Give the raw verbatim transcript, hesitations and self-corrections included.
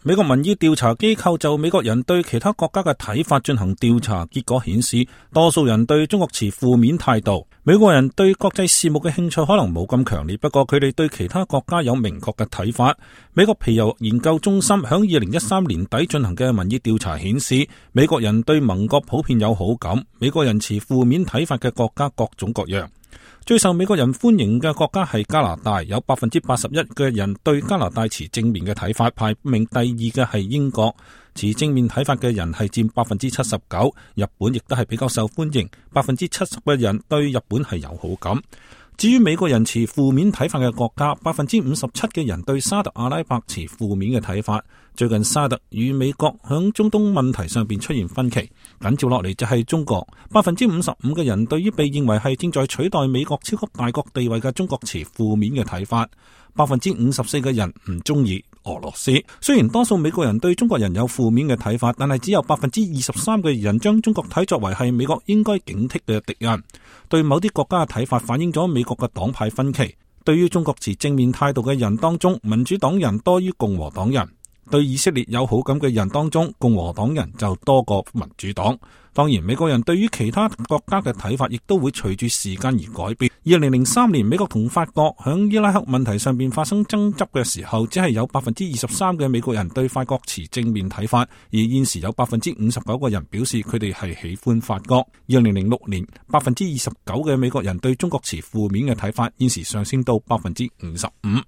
美國民意調查機構就美國人對其他國家嘅睇法進行調查，結果顯示多數人對中國持負面態度。美國人對國際事務嘅興趣可能冇咁強烈，不過佢哋對其他國家有明確嘅睇法。美國皮尤研究中心響二零一三年底進行嘅民意調查顯示，美國人對盟國普遍有好感，美國人持負面睇法嘅國家各種各樣。最受美國人歡迎嘅國家係加拿大，有百分之八十一嘅人對加拿大持正面嘅睇法，排名第二嘅係英國，持正面睇法嘅人係佔百分之七十九。日本亦都係比較受歡迎，百分之七十嘅人對日本係有好感。至於美國人持負面睇法嘅國家，百分之五十七嘅人對沙特阿拉伯持負面嘅睇法。最近沙特與美國響中東問題上邊出現分歧，緊接落嚟就係中國，百分之五十五嘅人對於被認為係正在取代美國超級大國地位嘅中國持負面嘅睇法。百分之五十四嘅人唔中意俄羅斯。雖然多數美國人對中國人有負面嘅睇法，但係只有百分之二十三嘅人將中國睇作為係美國應該警惕嘅敵人。對某啲國家嘅睇法反映咗美國嘅黨派分歧。對於中國持正面態度嘅人當中，民主黨人多於共和黨人；對以色列有好感嘅人當中，共和黨人就多過民主黨。當然，美國人對於其他國家嘅睇法亦都會隨住時間而改變。二零零三年，美國同法國響伊拉克問題上邊發生爭執嘅時候，只係有百分之二十三嘅美國人對法國持正面睇法，而現時有百分之五十九個人表示佢哋係喜歡法國。二零零六年，百分之二十九嘅美國人對中國持負面嘅睇法，現時上升到百分之五十五。